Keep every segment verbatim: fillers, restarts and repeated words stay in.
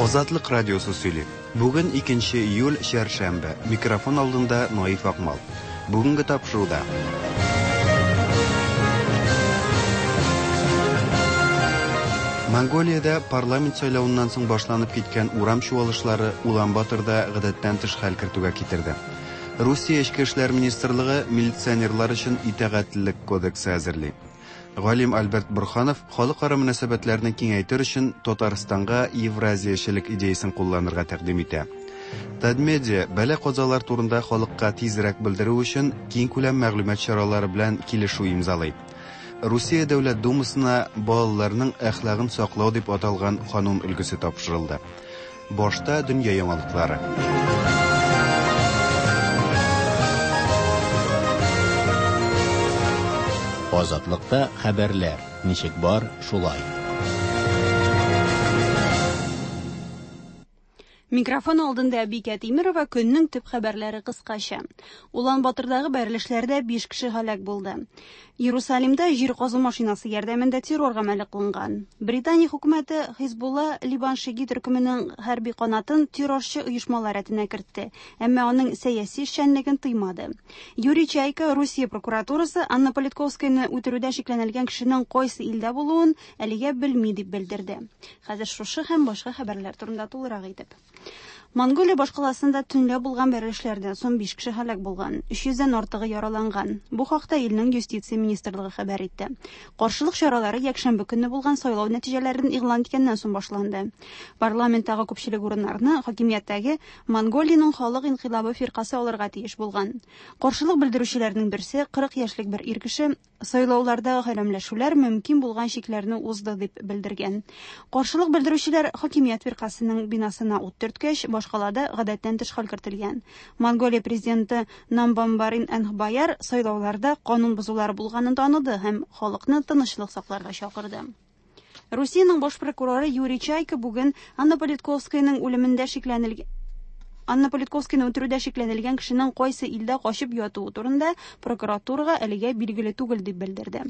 Азатлык радиосы сөйли. Бүген икенче июль, чәршәмбе. Микрофон алдында Наиф Акмал. Бүгенге тапшыруда. Монголиядә парламент сайлавыннан соң башланып киткән урам чуалышлары Улан-Баторда гадәттән тыш хәл кертүгә китерде. Русия Эчке эшләр министрлыгы милиционерлар өчен итагатьлелек кодексы әзерли. Галим Альберт Борханов халыкара мөнәсәбәтләрне киңәйтер өчен Татарстанга евразиячелек идеясын кулланырга тәкъдим итә. Татмедиа бәла-казалар турында халыкка тизрәк белдерү өчен киңкүләм мәгълүмат чаралары белән килешү имзалый. Русия Дәүләт Думасына балаларның әхлагын саклау дип аталган канун өлгесе тапшырылды. Башта дөнья яңалыклары. Азатлыкта хәбәрләр ничек бар, шулай. Микрофон алдында Бикә Тимирова, көннең төп хәбәрләре кыскача. Улан-Батордагы бәрелешләрдә биш кеше һәлак булды. Иерусалимда җир казу машинасы ярдәмендә террор гамәле кылынган. Британия хөкүмәте Хизбулла Либан шиги төркеменең хәрби канатын террорчы оешмалар рәтенә кертте, әмма аның сәяси эшчәнлеген тыймады. Юрий Чайка Русия прокуратурасы Анна Политковскаяны үтерүдә шикләнелгән кешенең кайсы илдә булуын әлегә белми дип белдерде. Хәзер шушы һәм башка хәбәрләр турында тулырак итеп. Монголия башкаласында төнлә булган бәрелешләрдән соң биш кеше һәлак булган, өч йөздән артыгы яраланган. Бу хакта илнең юстиция министрлыгы хәбәр итте. Каршылык чаралары якшәмбе көнне булган сайлау нәтиҗәләрен игълан иткәннән соң башланды. Парламенттагы күпчелек урыннарны хакимияттәге Монголиянең халык инкыйлабы фиркасы алырга тиеш булган. Каршылык белдерүчеләрнең берсе кырык яшьлек бер ир кеше сайлаулардагы хәрәмләшүләр мөмкин булган чикләрне узды дип белдергән. Каршылык белдерүчеләр хакимият фиркасының бинасына ут төрткәч, башкалада гадәттән тыш хәл кертелгән. Монголия президенты Намбамбарин Энхбаяр сайлауларда канун бозулары булганын таныды һәм халыкны тынычлык сакларга чакырды. Русиянең баш прокуроры Юрий Чайка бүген Анна Политковскаяның үлемендә шикләнелгән Анна Политковскаяны үтерүдә шикләнелгән кешенең кайсы илдә качып ятуы турында прокуратурага әлегә билгеле түгел дип белдерде.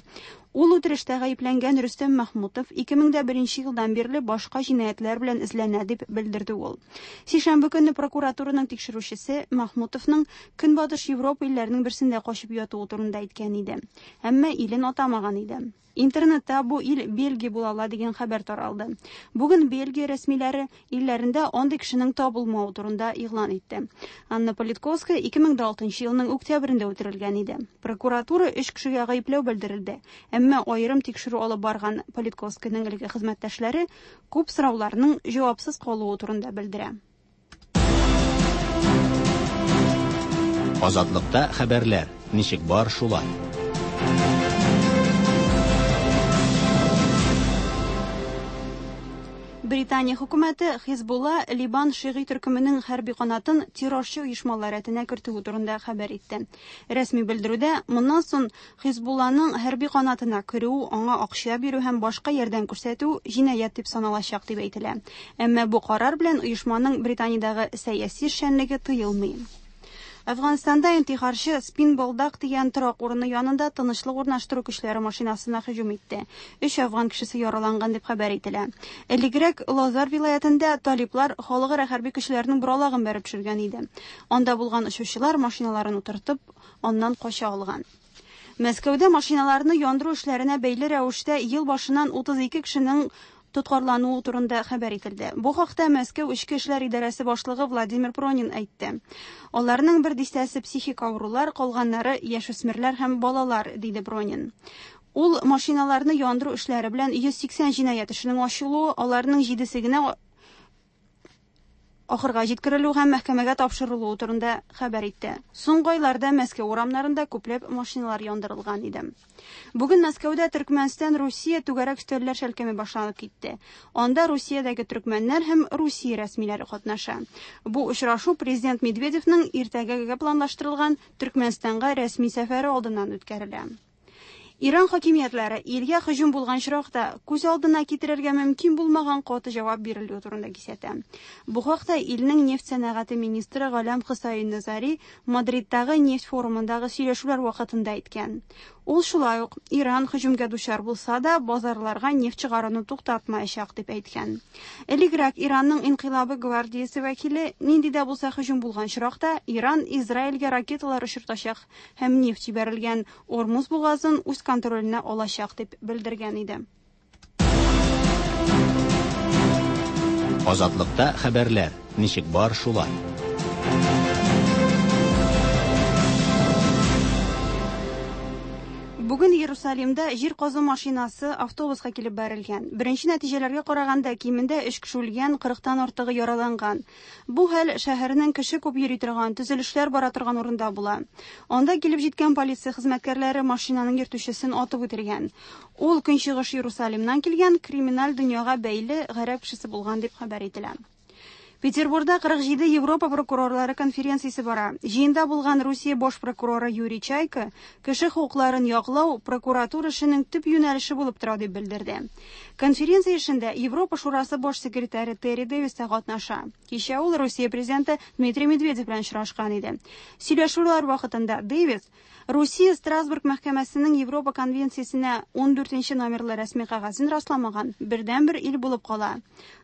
Ул үтерештә гаепләнгән Рөстәм Мәхмүтов ике мең дә беренче елдан бирле башка җинаятьләр белән эзләнә дип белдерде ул. Сишәмбе көнне прокуратураның тикшерүчесе Мәхмүтовның Көнбатыш Европа илләренең берсендә качып ятуы турында әйткән иде. Әмма илен атамаган иде. Интернетта бу ил Бельгия була ала дигән хәбәр таралды. Бүген Бельгия рәсмиләре илләрендә андый кешенең табылмавы турында игълан итте. Анна Политковская ике мең дә алтынчы елның октябрендә үтерелгән иде. Прокуратура өч кешегә гаепләү белдерелде. Әмма аерым тикшерү алып барган Политковскаяның элге хезмәттәшләре күп сорауларның җавапсыз калуы турында белдерә. Азатлыкта хәбәрләр ничек бар, шулай. Британия хөкүмәте Хизбулла Либан шиги төркеменең хәрби канатын террорчы оешмалар рәтенә кертүе турында хәбәр итте. Рәсми белдерүдә моннан соң Хизбулланың хәрби канатына керү, аңа акча бирү һәм башка ярдәм күрсәтү җинаять дип саналачак дип әйтелә. Әмма бу карар белән оешманың Британиядәге сәяси эшчәнлеге тыелмый. Әфганстанда интихарчы Спин-Болдак дигән торак урыны янында тынычлык урнаштыру көчләре машинасына һөҗүм итте. Өч афган кешесе яраланган дип хәбәр ителә. Элегрәк Лазар вилаятында талиплар халыкара хәрби көчләрнең боралагын бәреп төшергән иде. Анда булган очучылар машиналарын утыртып, аннан кача алган. Мәскәүдә машиналарны яндыру эшләренә бәйле рәвештә ел башыннан утыз ике кешенең тоткарлануы турында хәбәр ителде. Бу хакта Мәскәү Эчке эшләр идарәсе башлыгы Владимир Пронин әйтте. Аларның бер дистәсе психик авырулар, калганнары яшүсмерләр һәм балалар, диде Пронин. Ул машиналарны яндыру эшләре белән йөз сиксән җинаять эшенең ачылуы, аларның җидесе генә ахырга җиткерелү һәм мәхкәмәгә тапшырылуы турында хәбәр итте. Соңгы айларда Мәскәү урамнарында күпләп машиналар яндырылган иде. Бүген Мәскәүдә Төркмәнстан Русия түгәрәк өстәлләр шәлкеме башланып китте. Анда Русиядәге төркмәннәр һәм Русия рәсмиләре катнаша. Бу очрашу президент Медведевның иртәгәгә планлаштырылган Төркмәнстанга рәсми сәфәре алдыннан үткәрелә. Иран хакимиятләре илгә һөҗүм булган очракта күз алдына китерергә мөмкин булмаган каты җавап бирелүе турында кисәтә. Бу хакта илнең нефть сәнәгате министры Галям Хөсәен Назари Мадридтагы нефть форумындагы сөйләшүләр вакытында әйткән. Ул шулай ук Иран һөҗүмгә дучар булса да базарларга нефть чыгаруны туктатмаячак дип әйткән. Элегрәк Иранның инкыйлабы гвардиясе вәкиле нинди дә булса һөҗүм булган очракта Иран Израильгә ракеталар очыртачак һәм нефть җибәрелгән Ормуз бугазын үз контроленә алачак дип белдергән иде. Азатлыкта хәбәрләр ничек бар шулай. Бүген Иерусалимда җир казу машинасы автобуска килеп бәрелгән. Беренче нәтиҗәләргә караганда кимендә өч кеше үлгән, кырыктан артыгы яраланган. Бу хәл шәһәрнең кеше күп йөри торган, төзелешләр бара торган урында була. Анда килеп җиткән полиция хезмәткәрләре машинаның йөртүчесен атып үтергән. Ул Көнчыгыш Иерусалимнан килгән криминаль дөньяга бәйле гарәп кешесе булган дип хәбәр ителә. Петербургда кырык җиде Европа прокурорлары конференциясе бара. Җыенда булган Русия баш прокуроры Юрий Чайка кеше хокукларын яклау прокуратура эшенең төп юнәлеше булып тора дип белдерде. Конференция эшендә Европа Шурасы баш секретаре Терри Дэвис та катнаша. Кичә ул Русия президенты Дмитрий Медведев белән очрашкан иде. Сөйләшүләр вакытында Дэвис Русия Страсбург мәхкәмәсенең Европа конвенциясенә ун дүртенче номерлы рәсми кәгазен расламаган бердәнбер ил булып кала.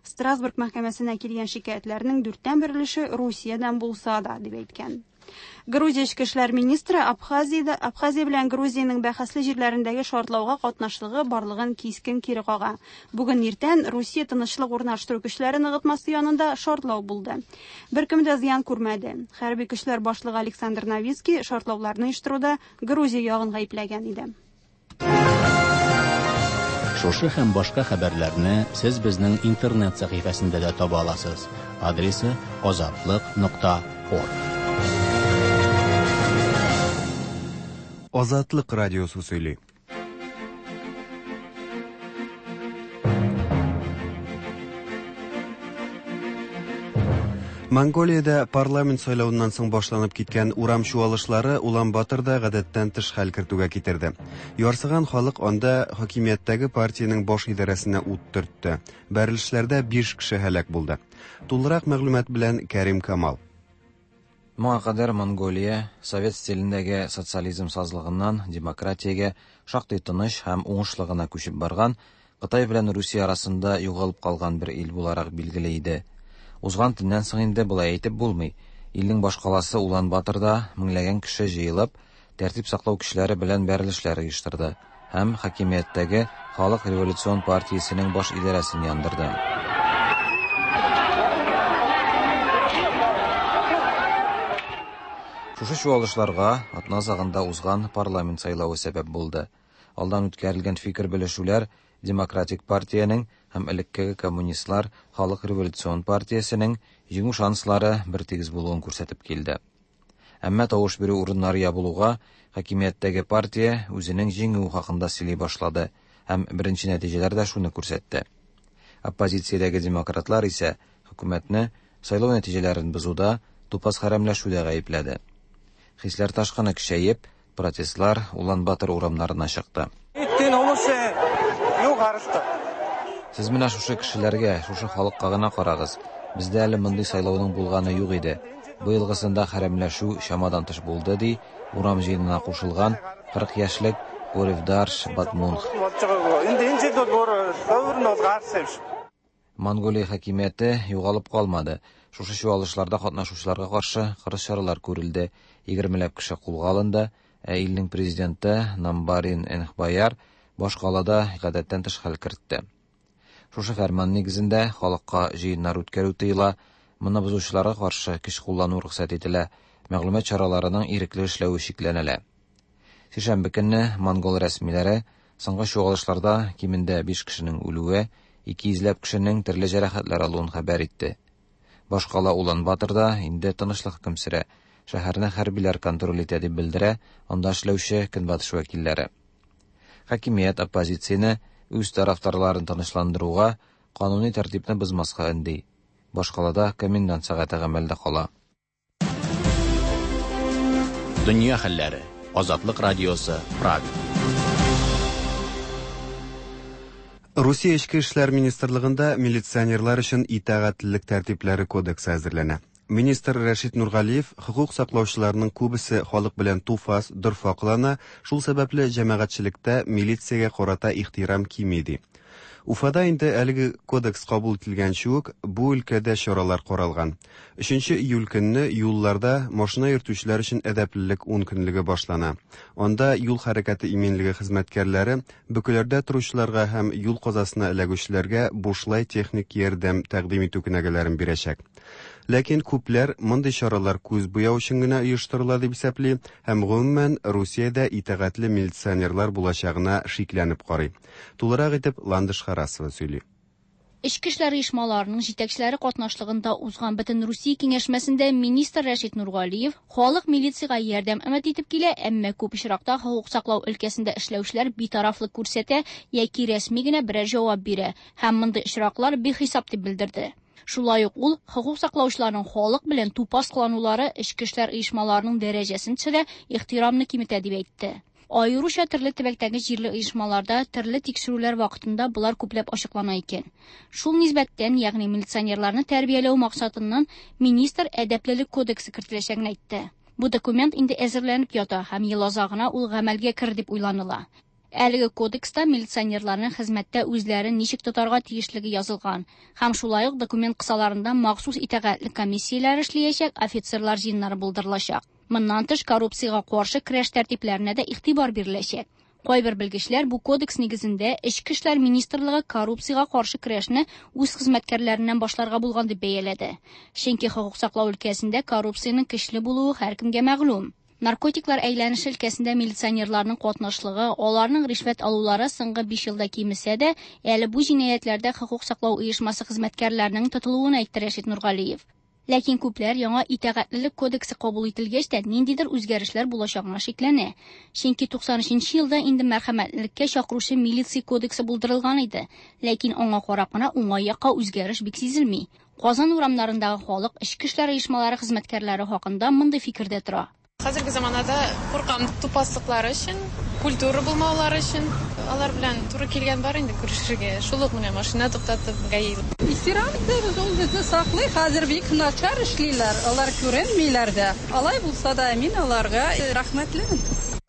Страсбург мәхкәмәсенә килгән шикаятьләрнең дүрттән бер өлеше Русиядән булса да, дип әйткән. Грузия эчке эшләр министры Абхазиядә Абхазия белән Грузиянең бәхәсле җирләрендәге шартлауга катнашлыгы барлыгын кискен кире кага. Бүген иртән Русия тынычлык урнаштыру көчләре ныгытмасы янында шартлау булды. Беркем дә зыян күрмәде. Хәрби көчләр башлыгы Александр Новицкий шартлауларны оештыруда Грузия ягын гаепләгән иде. Шушы һәм башка хәбәрләрне сез безнең интернет сәхифәсендә дә таба аласыз. Адресы азатлык нокта орг. Азатлык радиосы сөйли. Монголиядә парламент сайлавыннан соң башланып киткән урам чуалышлары Улан-Баторда гадәттән тыш хәл кертүгә китерде. Ярсыган халык анда хакимияттәге партиянең баш идарәсенә ут төртте. Бәрелешләрдә биш кеше һәлак булды. Тулырак мәгълүмат белән Кәрим Камал. Моңа кадәр Монголия совет стилендәге социализм сазлыгыннан демократиягә шактый тыныч һәм уңышлы гына күчеп барган, Кытай белән Русия арасында югалып калган бер ил буларак билгеле иде. Узган төннән соң инде болай әйтеп булмый. Илнең башкаласы Улан-Баторда меңләгән кеше җыелып, тәртип саклау көчләре белән бәрелешләр оештырды һәм хакимияттәге Халык революцион партиясенең баш идарәсен яндырды. Шушы чуалышларга атна азагында узган парламент сайлавы сәбәп булды. Алдан үткәрелгән фикер белешүләр Демократик партиянең һәм элеккеге коммунистлар Халык революцион партиясенең җиңү шанслары бертигез булуын күрсәтеп килде. Әмма тавыш бирү урыннары ябылуга хакимияттәге партия үзенең җиңүе хакында сөйли башлады һәм беренче нәтиҗәләр дә шуны күрсәтте. Оппозициядәге демократлар исә хөкүмәтне сайлау нәтиҗәләрен бозуда, тупас хәрәмләшүдә гаепләде. Хисләр ташкыны көчәеп, протестлар Улан-Батор урамнарына чыкты. Сез менә шушы кешеләргә, шушы халыкка гына карагыз. Бездә әле мондый сайлауның булганы юк иде. Быелгысында хәрәмләшү чамадан тыш булды, ди урам җыенына кушылган кырык яшьлек Оревдарш Батмунх. Монголия хакимияте югалып калмады. Шушы чуалышларда катнашучыларга каршы кырыс чаралар күрелде. Егермеләп кеше кулга алынды. Ә илнең президенты Намбарин Энхбаяр башкалада гадәттән тыш хәл кертте. Шушы фәрман нигезендә халыкка җыеннар үткәрү тыела, моны бозучыларга каршы көч куллану рөхсәт ителә, мәгълүмат чараларының ирекле эшләве чикләнелә. Сишәмбе көнне монгол рәсмиләре соңгы чуалышларда кимендә биш кешенең үлүе, ике йөзләп кешенең төрле җәрәхәтләр алуын хәбәр итте. Башкала Улан-Баторда инде тынычлык хөкем сөрә. Шәһәрне хәрбиләр контроль итә дип белдерә анда эшләүче көнбатыш вәкилләре. Хакимият оппозицияне үз тарафдарларын тынычландыруга, кануни тәртипне бозмаска өнди. Башкалада комендант сәгате гамәлдә кала. Дөнья хәлләре. Азатлык радиосы, Прага. Русия Эчке эшләр министрлыгында милиционерлар өчен итагатьлелек тәртипләре кодексы әзерләнә. Министр Рәшит Нургалиев хокук саклаучыларның күбесе халык белән туфас, дорфа кылана, шул сәбәпле җәмәгатьчелектә милициягә карата ихтирам кими ди. Уфада инде әлеге кодекс кабул ителгәнче үк бу өлкәдә чаралар каралган. Өченче июль көнне юлларда машина йөртүчеләр өчен әдәплелек ун көнлеге башлана. Анда юл хәрәкәте иминлеге хезмәткәрләре бөкеләрдә торучыларга һәм юл казасына эләгүчеләргә бушлай техник ярдәм тәкъдим итү кенәгәләрен бирәчәк. Ләкин күпләр мондый чаралар күз буяу өчен генә оештырыла дип исәпли һәм гомумән Русиядә итагатьле милиционерлар булачагына шикләнеп карый. Тулырак итеп Ландыш Харасова сөйли. Эчке эшләр оешмаларының җитәкчеләре катнашлыгында узган бөтен Русия киңәшмәсендә министр Рәшит Нургалиев халык милициягә ярдәм өмет итеп килә, әмма күп очракта хокук саклау өлкәсендә эшләүчеләр битарафлык күрсәтә яки рәсми генә берәр җавап бирә һәм мондый очраклар бихисап дип белдерде. Шулай ук ул хокук саклаучыларның халык белән тупас кыланулары эчке эшләр оешмаларының дәрәҗәсен төшерә, ихтирамны киметә дип әйтте. Аеруча төрле төбәктәге җирле оешмаларда төрле тикшерүләр вакытында болар күпләп ачыклана икән. Шул нисбәттән, ягъни милиционерларны тәрбияләү максатыннан министр әдәплелек кодексы кертеләчәген әйтте. Бу документ инде әзерләнеп ята һәм ел азагына ул гамәлгә керер дип уйланыла. Әлеге кодекста милиционерларның хезмәттә үзләрен ничек тотарга тиешлеге язылган һәм шулай ук документ кысаларында махсус итагатьле комиссияләр эшләячәк, офицерлар җыеннары булдырылачак. Моннан тыш коррупциягә каршы көрәш тәртипләренә дә игътибар биреләчәк. Кайбер белгечләр бу кодекс нигезендә Эчке эшләр министрлыгы коррупциягә каршы көрәшне үз хезмәткәрләреннән башларга булган дип бәяләде. Чөнки хокук саклау өлкәсендә коррупциянең көчле булуы һәркемгә мәгълүм. Наркотиклар әйләнеше өлкәсендә милиционерларның катнашлыгы, аларның ришвәт алулары соңгы биш елда кимесә дә, әле бу җинаятьләрдә хокук саклау оешмасы хезмәткәрләренең тотылуын әйтте Рәшит Нургалиев. Ләкин күпләр яңа итагатьлелек кодексы кабул ителгәч тә ниндидер үзгәрешләр булачагына шикләнә. Чөнки туксан өченче елда инде мәрхәмәтлелеккә чакыручы милиция кодексы булдырылган иде, ләкин аңа карап кына уңай якка үзгәреш бик сизелми. Казан урамнарындагы халык эчке эшләр оешмалары хезмәткәрләре хакында мондый фикердә тора. Хәзерге заманада куркам тупаслыклары өчен, культура булмаулары өчен. Алар белән туры килгән бар инде күрешергә. Шул ук менә машина туктатып ГАИ. Ихтирам итәбез, ул безне саклый. Хәзер бик начар эшлиләр, алар күренмиләр дә. Алай булса да мин аларга рәхмәтлемен.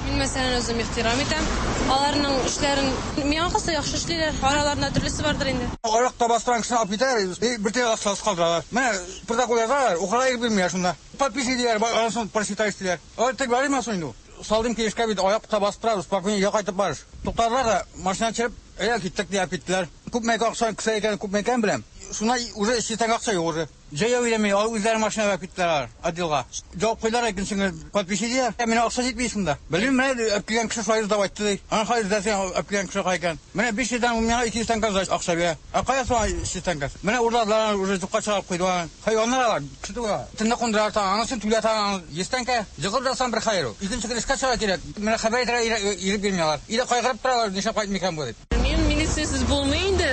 Мин мәсәлән үзем ихтирам итәм. Аларның эшләрен миңа калса яхшы эшлиләр. Араларында төрлесе бардыр инде. Аякта бастырган кешене алып китәләр, бер тиен акчасы калдыралар. Менә протокол язалар, укырга ирек бирмиләр шунда. Подпись диләр, анысын прочитай диләр. Алар тик бармы соң инде? Салдым килешкә бит аякта басып торабыз, спокойно өйгә кайтып барыш. Туктадылар да, машина төшереп, әйдә киттек дип киттеләр. Күпме акча кесә икән, күпме икән беләм. Шуна уже өч йөз акча юк уже. Җәяү йөрми, алар үзләре машина алып киттеләр отделга. Җавап куйдылар, икенче көнне подпись диләр. Ә менә акча җитми шунда. Белмим, менә алып килгән кеше шулай дип әйтте ди. Аны хәзер эзләсәң, алып килгән кеше кая икән? Менә биш йөздән миңа ике йөз тәңкә акча бирә. Ә кая соң өч йөз тәңкә? Менә урладылар, уже юкка чыгарып куйдылар. Хайваннар алар, кеше түгел. Төнне кундыралар, анысын түләтә, йөз тәңкә. Җыгылып ятсаң бер хәер ул. Икенче көн эшкә чыга кирәк. Менә хәбәр итәргә ирек бирмиләр. Өйдә кайгырып торалар, нишләп кайтмый икән бу дип. Мин милициясез булмый инде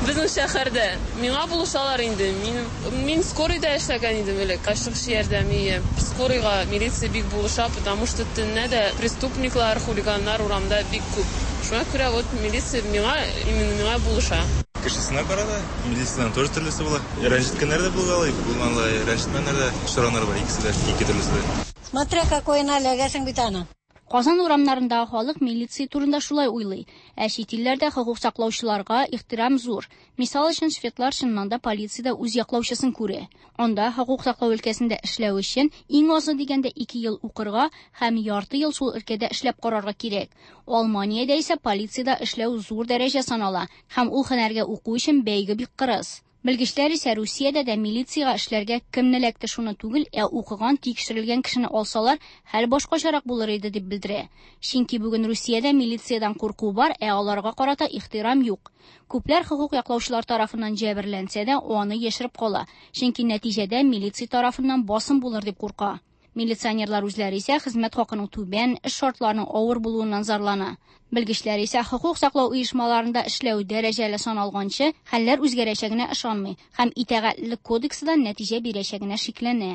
безнең шәһәрдә. Миңа булышалар инде. Мин мин скорыйда эшләгән идем элек. Ашыгыч ярдәм ие. Скорыйга милиция бик булыша, потому что төнлә дә преступниклар, хулиганнар урамда бик күп. Шуңа күрә вот милиция миңа, именно миңа булыша. Кешесенә карата милициядән тоже төрлесе була. Рәнҗеткәннәр дә булгалый, булмалый, рәнҗетмәннәр дә, очраганнар бар, икесе дә, ике төрлесе дә. Смотря какой налегәсең бит аны. Казан урамнарындагы халык милиция турында шулай уйлый. Ә чит илләрдә хокук саклаучыларга ихтирам зур. Мисал өчен, шведлар чыннан да полициядә үз яклаучысын күрә. Анда хокук саклау өлкәсендә эшләү өчен иң азы дигәндә ике ел укырга һәм ярты ел шул өлкәдә эшләп карарга кирәк. Алманиядә исә полициядә эшләү зур дәрәҗә санала һәм ул һөнәргә уку өчен бәйге бик кырыс. Белгечләр исә Русиядә дә милициягә эшләргә кемне эләкте шуны түгел, ә укыган, тикшерелгән кешене алсалар, хәл башкачарак булыр иде дип белдерә. Чөнки бүген Русиядә милициядән курку бар, ә аларга карата ихтирам юк. Күпләр хокук яклаучылар тарафыннан җәберләнсә дә, аны яшереп кала. Чөнки нәтиҗәдә милиция тарафыннан басым булыр дип курка. Милиционерлар үзләре исә хезмәт хакының түбән, эш шартларының авыр булуыннан зарлана. Белгечләр исә хокук саклау оешмаларында эшләү дәрәҗәле саналганчы, хәлләр үзгәрәчәгенә ышанмый һәм итагатьлелек кодексы да нәтиҗә бирәчәгенә шикләнә.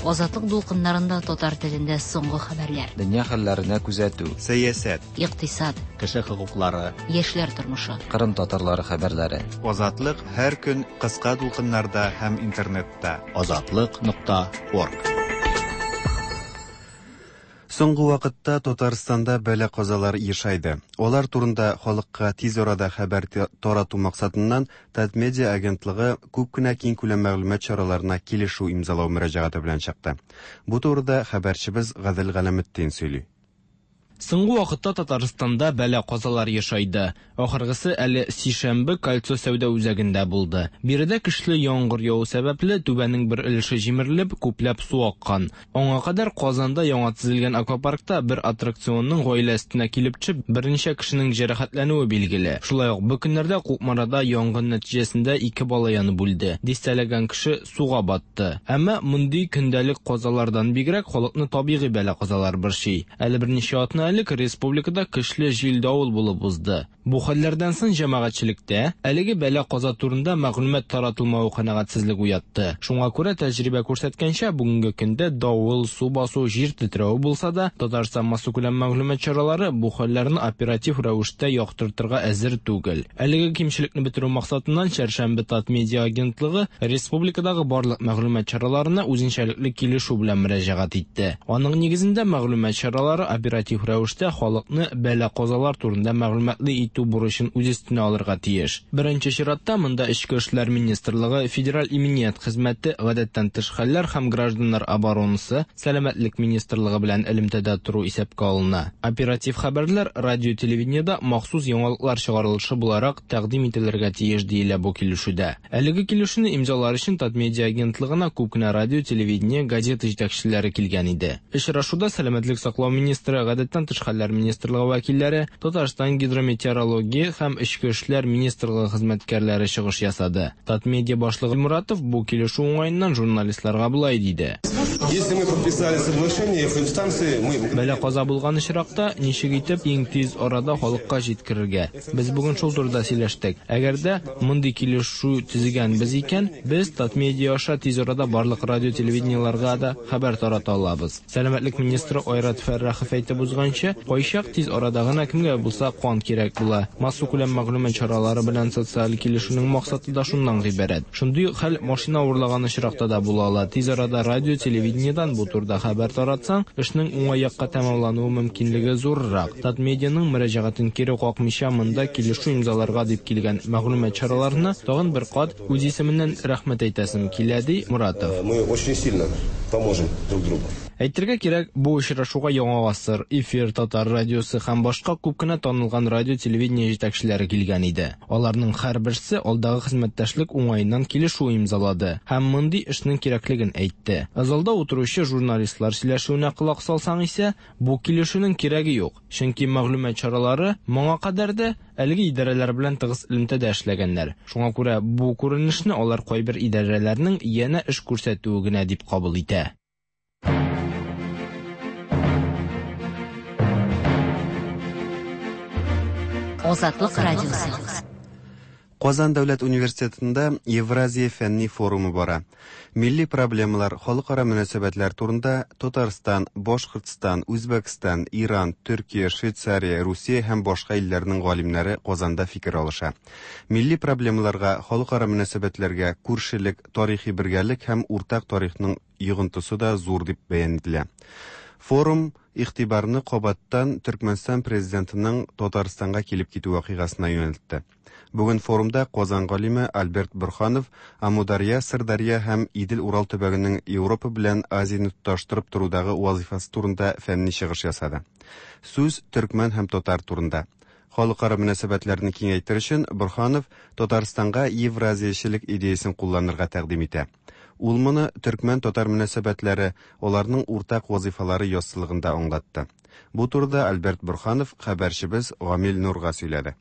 Азатлык дулкыннарында татар телендә соңгы хәбәрләр. Дөнья хәлләренә күзәтү. Сәясәт. Икътисад. Кеше хокуклары. Яшьләр тормышы. Кырым татарлары хәбәрләре. Азатлык һәр көн кыска дулкыннарда һәм интернетта. Азатлык нокта орг. Соңгы вакытта Татарстанда бәла-казалар ешайды. Алар турында халыкка тиз арада хәбәр тарату максатыннан Татмедиа агентлыгы күп кенә киңкүләм мәгълүмат чараларына килешү имзалау мөрәҗәгате белән чыкты. Бу турыда хәбәрчебез Гадел Галәметдин сөйли. Соңгы вакытта Татарстанда бәла-казалар ешайды. Ахыргысы әле сишәмбе Кольцо сәүдә үзәгендә булды. Биредә көчле яңгыр яву сәбәпле түбәнең бер өлеше җимерелеп, күпләп су аккан. Аңа кадәр Казанда яңа төзелгән аквапаркта бер аттракционның гаилә өстенә килеп төшеп, берничә кешенең җәрәхәтләнүе билгеле. Шулай ук бу көннәрдә Кукмарада янгын нәтиҗәсендә ике бала янып үлде. Дистәләгән кеше суга батты. Әмма мондый көндәлек казалардан бигрәк халыкны табигый бәла-казалар борчый. Әле берничә атна элек республикада көчле җил-давыл булып узды. Бу хәлләрдән соң җәмәгатьчелектә әлеге бәла-каза турында мәгълүмат таратылмавы канәгатьсезлек уятты. Шуңа күрә тәҗрибә күрсәткәнчә, бүгенге көндә давыл, су басу, җир тетрәве булса да, Татарстан массакүләм мәгълүмат чаралары бу хәлләрне оператив рәвештә яктыртырга әзер түгел. Әлеге кимчелекне бетерү максатыннан Чәршәмбе Татмедиа агентлыгы республикадагы барлык мәгълүмат чараларына үзенчәлекле килешү белән мөрәҗәгать итте. Аның нигезендә мәгълүмат чаралары оператив рәвештә халыкны бәла-казалар турында мәгълүматлы итү бурычын үз өстенә алырга тиеш. Беренче чиратта монда Эчке эшләр министрлыгы, Федераль иминият хезмәте, гадәттән тыш хәлләр һәм гражданнар оборонасы, Сәламәтлек министрлыгы белән элемтәдә тору исәпкә алына. Оператив хәбәрләр радио телевидениедә махсус яңалыклар чыгарылышы буларак тәкъдим ителергә тиеш диелә бу килешүдә. Әлеге килешүне имзалар өчен Татмедиа агентлыгына күп кенә радио, телевидение, газета җитәкчеләре килгән иде. Очрашуда Сәламәтлек саклау министры, гадәттән тыш хәлләр министрлыгы вәкилләре, Татарстан гидрометеорология һәм Эчке эшләр министрлыгы хезмәткәрләре чыгыш ясады. Татмедиа башлыгы Муратов бу килешү уңаеннан журналистларга болай диде. Если мы подписали соглашение эф эм-станции, мы Бәла-каза булган очракта ничек итеп иң тиз арада халыкка җиткерергә? Без бүген шул турыда сөйләштек. Әгәр дә мондый килешү төзегәнбез икән, без Татмедиа аша тиз арада барлык радио телевидениеларга да хәбәр тарата алабыз. Сәламәтлек министры Айрат Фәррахов әйтеп узганча, кайчак тиз арада гына кемгә булса кан кирәк була. Массакүләм мәгълүмат чаралары белән социаль килешүнең максаты да шуннан гыйбарәт. Шундый хәл машина урлаган очракта да була ала. Тиз арада радио телевидениедән бу турыда хәбәр таратсаң, эшнең уңай якка тәмамлануы мөмкинлеге зуррак. Татмедианың мөрәҗәгатен кире какмыйча монда килешү имзаларга дип килгән мәгълүмат чараларына тагын бер кат үз исеменнән рәхмәт әйтәсем килә, ди Муратов. Мы очень сильно поможем друг другу. Әйтергә кирәк, бу очрашуга Яңа гасыр, Эфир, Татар радиосы һәм башка күп кенә танылган радио телевидение җитәкчеләре килгән иде. Аларның һәрберсе алдагы хезмәттәшлек уңаеннан килешү имзалады һәм мондый эшнең кирәклеген әйтте. Залда утыручы журналистлар сөйләшүенә колак салсаң исә, бу килешүнең кирәге юк, чөнки мәгълүмат чаралары моңа кадәр дә әлеге идарәләр белән тыгыз элемтәдә эшләгәннәр. Шуңа күрә бу күренешне алар кайбер идарәләрнең янә эш күрсәтүе генә дип кабул итә. Азатлык радиосы. Казан дәүләт университетында Евразия фәнни форумы бара. Милли проблемалар, халыкара мөнәсәбәтләр турында Татарстан, Башкортстан, Үзбәкстан, Иран, Төркия, Швейцария, Русия һәм башка илләрнең галимнәре Казанда фикер алыша. Милли проблемаларга, халыкара мөнәсәбәтләргә күршелек, тарихи бергәлек һәм уртак тарихның йогынтысы да зур дип бәян ителә. Форум игътибарны кабаттан Төркмәнстан президентының Татарстанга килеп китү вакыйгасына юнәлтте. Бүген форумда Казан галиме Альберт Бурханов Амударья, Сырдарья һәм Идел-Урал төбәгенең Европа белән Азияне тоташтырып торудагы вазифасы турында фәнни чыгыш ясады. Сүз төркмән һәм татар турында. Халыкара мөнәсәбәтләрне киңәйтер өчен Бурханов Татарстанга евразиячелек идеясын кулланырга тәкъдим итә. Ул моны төркмән-татар мөнәсәбәтләре, аларның уртак вазифалары яссылыгында аңлатты. Бу турыда Альберт Бурханов хәбәрчебез Гамил Нурга сөйләде.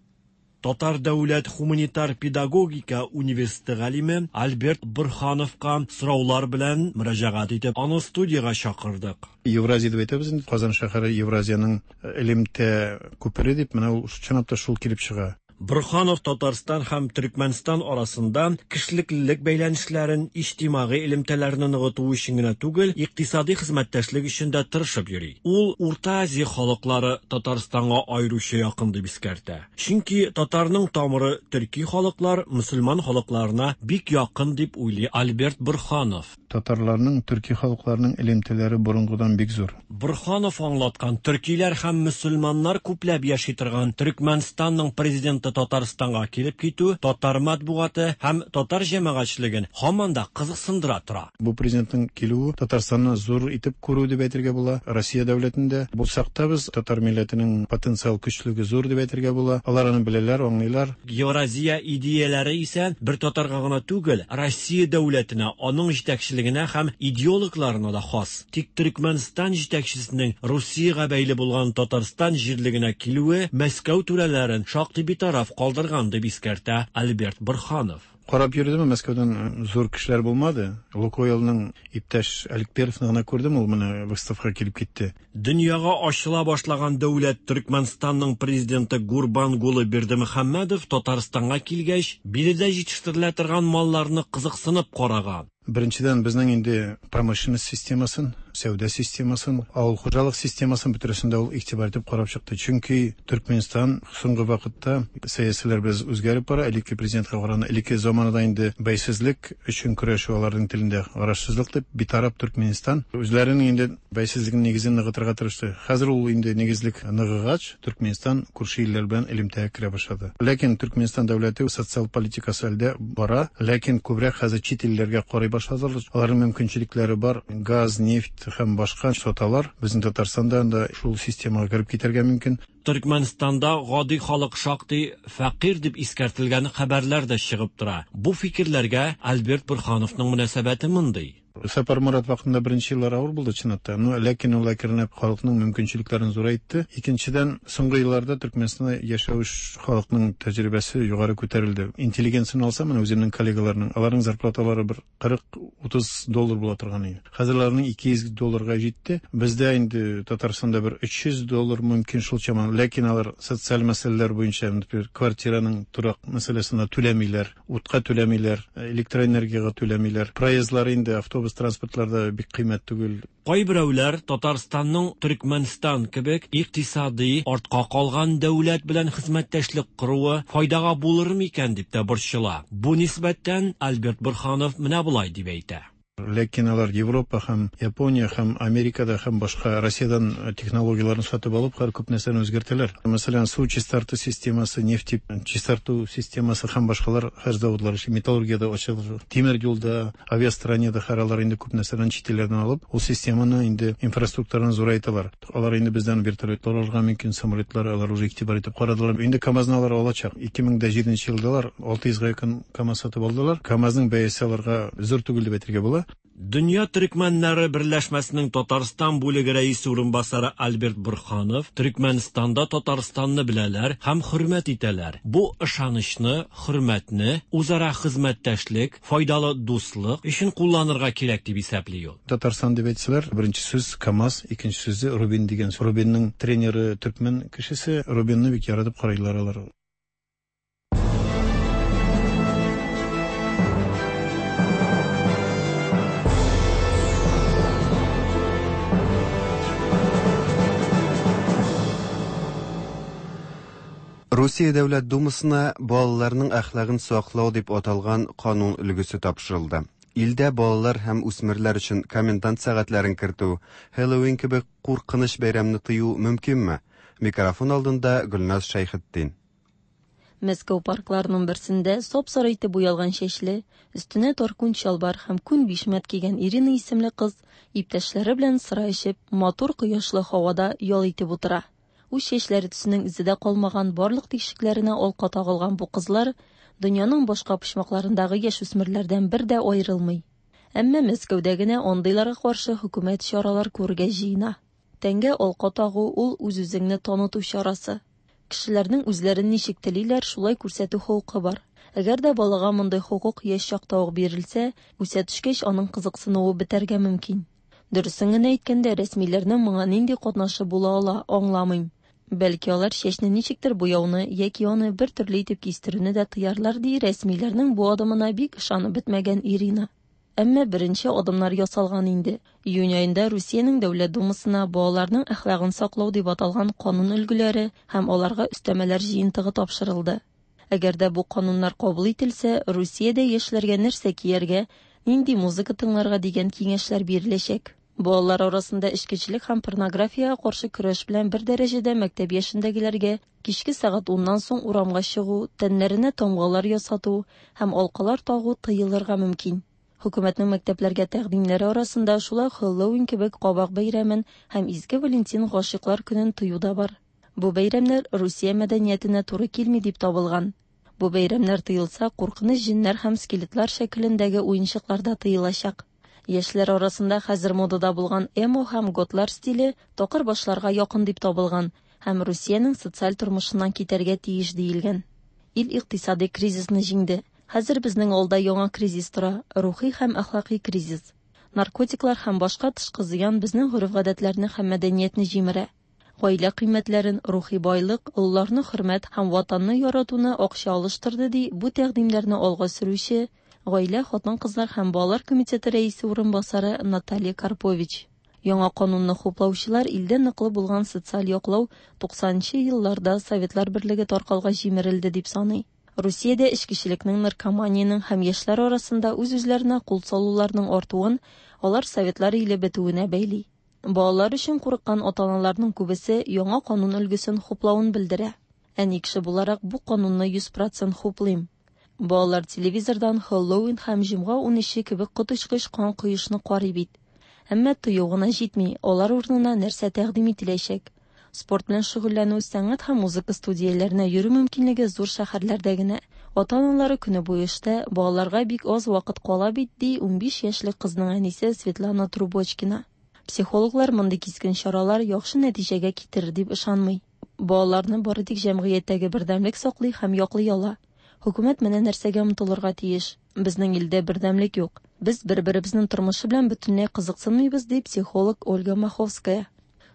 Татар дәүләт гуманитар педагогика университеты галиме Альберт Бурхановка сораулар белән мөрәҗәгать итеп, аны студиягә чакырдык. Евразия дип әйтәбез инде, Казан шәһәре Евразиянең элемтә күпере дип, менә ул чынлап та шул килеп чыга. Борһанов Татарстан һәм Төркмәнстан арасында кешелеклелек бәйләнешләрен, иҗтимагый элемтәләрне ныгыту өчен генә түгел, икътисади хезмәттәшлек өчен дә тырышып йөри. Ул Урта Азия халыклары Татарстанга аеруча якын дип искәртә. Чөнки татарның тамыры төрки халыклар, мөселман халыкларына бик якын дип уйлый Альберт Борһанов. Татарларның, төрки халыкларның элемтәләре борынгыдан бик зур. Борһанов аңлаткан төркиләр һәм мөселманнар күпләп яши торган Төркмәнстанның президенты Татарстанга килеп китү татар матбугаты һәм татар җәмәгатьчелеген һаман да кызыксындыра тора. Бу президентның килүе Татарстанны зур итеп күрү дип әйтергә була. Россия дәүләтендә булсак та без татар милләтенең потенциал көчлеге зур дип әйтергә була. Алар аны беләләр, аңлыйлар. Евразия идеяләре исә бер татарга гына түгел, Россия дәүләтенә, аның җитәкчелегенә һәм идеологларына да хас. Тик Төркмәнстан җитәкчесенең Русиягә бәйле булган Татарстан җирлегенә килүе Мәскәү түрәләрен шактый битараф калдырган дип искәртә Альберт Борһанов. Карап йөрдем, Мәскәүдән зур кешеләр булмады. Лукойлның иптәш Аликперовны гына күрдем, ул менә выставкага килеп китте. Дөньяга ачыла башлаган дәүләт Төркмәнстанның президенты Гурбангулы Бердымөхәммәдов Татарстанга килгәч, биредә җитештерелә торган малларны кызыксынып караган. Беренчедән, безнең инде промышленность системасын, сәүдә системасын, авыл хуҗалык системасын бөтересендә ул игътибар итеп карап чыкты. Чөнки Төркмәнстан соңгы вакытта сәясиләр без үзгәреп бара. Элекке президентка караганда элекке заманада инде бәйсезлек өчен көрәшү аларның телендә карашсызлык дип битараф Төркмәнстан үзләренең инде бәйсезлеген нигезен ныгытырга тырышты. Хәзер ул инде нигезлек ныгыгач, Төркмәнстан күрше илләр белән элемтәгә керә башлады. Ләкин Төркмәнстан дәүләте социаль политикасы әлдә бара, ләкин күбрәк хәзер чит илләргә карый башладылар. Аларның мөмкинчелекләре бар, газ, нефть һәм башка саталар. Безнең Татарстанда да шул системага кереп китәргә мөмкин. Төркмәнстанда гади халык шактый фәкыйрь дип искәртелгән хәбәрләр дә чыгып тора. Бу фикерләргә Альберт Борһановның мөнәсәбәте мондый. Сапар Мурат вакытында беренче еллар авыр булды чынлап. Но ләкин ул әкренләп халыкның мөмкинчелекләрен зурайтты. Икенчедән, соңгы елларда Төркмәнстанда яшәүче халыкның тәҗрибәсе югары күтәрелде. Интеллигенцияне алсам, менә үземнең коллегаларның, аларның зарплаталары бер кырык утыз доллар була торган иде. Хәзер аларның ике йөз долларга җитте. Бездә инде Татарстанда бер өч йөз доллар мөмкин шул чама. Ләкин алар социаль мәсьәләләр буенча, например, квартираның торак мәсьәләсенә түләмиләр, утка түләмиләр, электроэнергиягә түләмиләр. Проездлар инде автобус транспортларда бик кыйммәт түгел. Кайберәүләр Татарстанның Төркмәнстан кебек икътисади артка калган дәүләт белән хезмәттәшлек коруы файдага булыр микән дип тә борчыла. Бу нисбәттән Альберт Борһанов менә болай дип әйтә. Ләкин алар Европа һәм Япония һәм Америкада һәм башка Россиядан технологияләрен сатып алып, һәр күп нәрсәне үзгәртәләр. Мәсәлән, су чистарту системасы, нефть чистарту системасы һәм башкалар һәр заводлар эшли, металлургиядә ачылды, тимер юлда, авиастроениедә һәр алар инде күп нәрсәдән чит илләрдән алып, ул системаны инде инфраструктураны зурайталар. Алар инде бездән вертолетлар алырга мөмкин, самолетлар алар уже игътибар итеп карадылар. Инде КАМАЗны алар алачак. ике мең дә җиденче елда алар алты йөзгә якын КАМАЗ сатып алдылар. КАМАЗның бәясе аларга зур түгел дип әйтергә була. Дөнья төркмәннәре берләшмәсенең Татарстан бүлеге рәисе урынбасары Альберт Борһанов Төркмәнстанда Татарстанны беләләр һәм хөрмәт итәләр. Бу ышанычны, хөрмәтне, үзара хезмәттәшлек, файдалы дуслык өчен кулланырга кирәк дип исәпли ул. Татарстан дип әйтсәләр, беренче сүз КАМАЗ, икенче сүзе Рубин дигән. Рубинның тренеры төркмән кешесе, Рубинны бик яратып карыйлар алар. Русия Дәүләт Думасына балаларның әхлагын саклау дип аталган канун өлгесе тапшырылды. Илдә балалар һәм үсмерләр өчен комендант сәгатьләрен кертү, Хэллоуин кебек куркыныч бәйрәмне тыю мөмкинме? Микрофон алдында Гөлназ Шәйхетдин. Мәскәү паркларының берсендә сап-сары итеп буялган чәчле, өстенә тар күн чалбар һәм күн бишмәт кигән Ирина исемле кыз иптәшләре белән сыра эчеп, матур кояшлы һавада ял итеп утыра. Үз чәчләре төсенең эзе дә калмаган барлык тишекләренә алка тагылган бу кызлар дөньяның башка почмакларындагы яшүсмерләрдән бер дә аерылмый. Әмма Мәскәүдә генә андыйларга каршы хөкүмәт чаралар күрергә җыена. Тәнгә алка тагу ул үз-үзеңне таныту чарасы. Кешеләрнең үзләрен ничек телиләр, шулай күрсәтү хокукы бар. Әгәр дә балага мондый хокук яшь чакта ук бирелсә, үсә төшкәч аның кызыксынуы бетәргә мөмкин. Дөресен генә әйткәндә, рәсмиләрнең моңа нинди катнашы була ала, аңламыйм. Бәлки алар чәчне ничектер буяуны яки аны бер төрле итеп кистерүне дә тыярлар, ди рәсмиләрнең бу адымына бик ышанып бетмәгән Ирина. Әмма беренче адымнар ясалган инде. Июнь аенда Русиянең Дәүләт Думасына балаларның әхлагын саклау дип аталган канун өлгеләре һәм аларга өстәмәләр җыентыгы тапшырылды. Әгәр дә бу кануннар кабул ителсә, Русиядә яшьләргә нәрсә кияргә, нинди музыка тыңларга дигән киңәшләр биреләчәк. Балалар арасында эчкечелек һәм порнографиягә каршы көрәш белән бер дәрәҗәдә мәктәп яшендәгеләргә кичке сәгать уннан соң урамга чыгу, тәннәренә тамгалар ясату һәм алкалар тагу тыелырга мөмкин. Хөкүмәтнең мәктәпләргә тәкъдимнәре арасында шулай Хэллоуин кебек кабак бәйрәмен һәм Изге Валентин гашыйклар көнен тыю да бар. Бу бәйрәмнәр Русия мәдәниятенә туры килми дип табылган. Бу бәйрәмнәр тыелса, куркыныч җеннәр һәм скелетлар шәкелендәге уенчыклар да тыелачак. Яшьләр арасында хәзер модада булган эмо һәм готлар стиле такыр башларга якын дип табылган һәм Русиянең социаль тормышыннан китәргә тиеш диелгән. Ил икътисади кризисны җиңде. Хәзер безнең алда яңа кризис тора, рухи һәм әхлакый кризис. Наркотиклар һәм башка тышкы зыян безнең гореф-гадәтләрне һәм мәдәниятне җимерә. Гаилә кыйммәтләрен, рухи байлык, олыларны хөрмәт һәм ватанны яратуны акча алыштырды, ди бу тәкъдимнәрне алга сөрүче Гаилә, хатын-кызлар һәм балалар комитеты рәисе урынбасары Наталья Карпович. Яңа канунны хуплаучылар илдә ныклы булган социаль яклау туксанынчы елларда Советлар Берлеге таркалгач җимерелде дип саный. Русиядә эчкечелекнең, наркоманиянең һәм яшьләр арасында үз-үзләренә кул салуларның артуын алар Советлар иле бетүенә бәйли. Балалар өчен курыккан ата-аналарның күбесе яңа канун өлгесен хуплавын белдерә. Әни кеше буларак бу канунны йөз процент хуплыйм. Балалар телевизордан Хэллоуин һәм җомга унөче кебек коточкыч кан коешны карый бит. Әмма тыю гына җитми, алар урынына нәрсә тәкъдим ителәчәк? Спорт белән шөгыльләнү, сәнгать һәм музыка студияләренә йөрү мөмкинлеге зур шәһәрләрдә генә. Ата-аналары көне буе эштә, балаларга бик аз вакыт кала бит, ди унбиш яшьлек кызның әнисе Светлана Трубочкина. Психологлар мондый кискен чаралар яхшы нәтиҗәгә китерер дип ышанмый. Балаларны бары тик җәмгыятьтәге бердәмлек саклый һәм яклый ала. Хөкүмәт менә нәрсәгә омтылырга тиеш. Безнең илдә бердәмлек юк. Без бер-беребезнең тормышы белән бөтенләй кызыксынмыйбыз, ди психолог Ольга Маховская.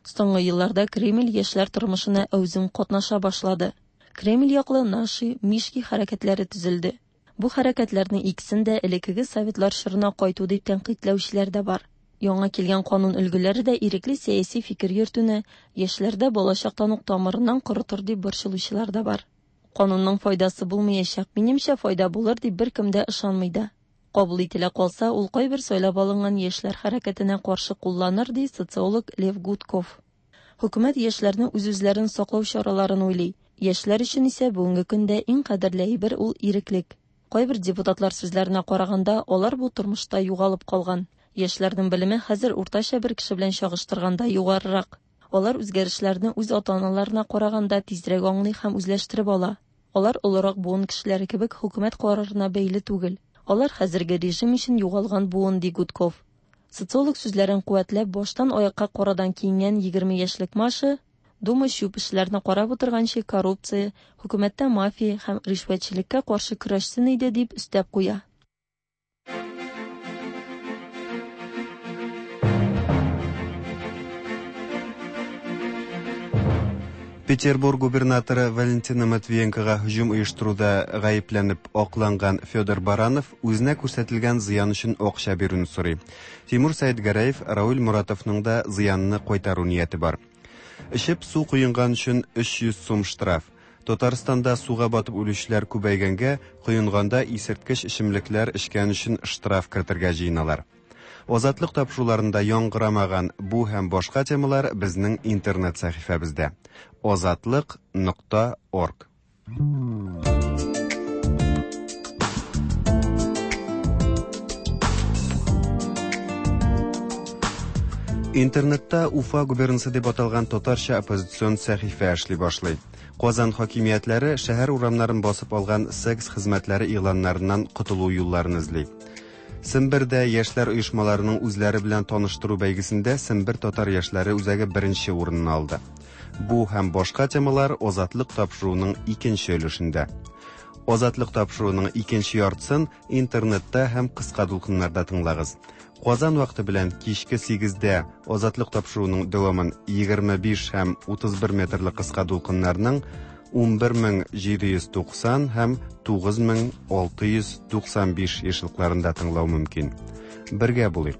Соңгы елларда Кремль яшьләр тормышына әүзем катнаша башлады. Кремль яклы Наши, Мишки хәрәкәтләре төзелде. Бу хәрәкәтләрнең икесен дә элеккеге советлар чорына кайту дип тәнкыйтьләүчеләр дә бар. Яңа килгән канун өлгеләре дә ирекле сәяси фикер йөртүне яшьләрдә балачактан ук тамырыннан корытыр дип борчылучылар да бар. Канунның файдасы булмаячак, минемчә файда булыр дип беркем дә ышанмый да. Кабул ителә калса, ул кайбер сайлап алынган яшьләр хәрәкәтенә каршы кулланыр, ди социолог Лев Гудков. Хөкүмәт яшьләрне үз-үзләрен саклау чараларын уйлый. Яшьләр өчен исә бүгенге көндә иң кадерле әйбер ул иреклек. Кайбер депутатлар сүзләренә караганда, алар бу тормышта югалып калган. Яшьләрнең белеме хәзер уртача бер кеше белән чагыштырганда югарырак. Алар үзгәрешләрне үз ата-аналарына караганда тизрәк аңлый һәм үзләштереп ала. Алар олырак буын кешеләре кебек хөкүмәт карарына бәйле түгел. Алар хәзерге режим өчен югалган буын, ди Гудков. Социолог сүзләрен куәтләп, баштан аякка карадан киенгән егерме яшьлек Маша, Дума чүп эшләрне карап утырганчы коррупция, хөкүмәттә мафия һәм ришвәтчелеккә каршы көрәшсен иде, дип өстәп куя. Петербург губернаторы Валентина Матвиенкога һөҗүм оештыруда гаепләнеп акланган Федор Баранов үзенә күрсәтелгән зыян өчен акча бирүне сорый. Тимур Сәетгәрәев Рауль Муратовның да зыянны кайтару нияте бар. Эчеп су коенган өчен өч йөз сум штраф. Татарстанда суга батып үлүчеләр күбәйгәнгә, коенганда исерткеч эчемлекләр эчкән өчен штраф кертергә җыеналар. Азатлык тапшыруларында яңгырамаган бу һәм башка темалар безнең интернет сәхифәбездә. Азатлык нокта орг. Интернетта Уфа губернасы дип аталган татарча оппозицион сәхифә эшли башлый. Казан хакимиятләре шәһәр урамнарын басып алган секс хезмәтләре игъланнарыннан котылу юлларын эзли. Сембердә яшьләр оешмаларының үзләре белән таныштыру бәйгесендә Сембер татар яшьләре үзәге беренче урынны алды. Бу һәм башка темалар Азатлык тапшыруының икенче өлешендә. Азатлык тапшыруының икенче яртысын интернетта һәм кыска дулкыннарда тыңлагыз. Казан вакыты белән кичке сигездә Азатлык тапшыруының дәвамын егерме биш һәм утыз бер метрлы кыска дулкыннарның ун бер мең җиде йөз туксан һәм тугыз мең алты йөз туксан биш ешлыкларында тыңлау мөмкин. Бергә булыйк.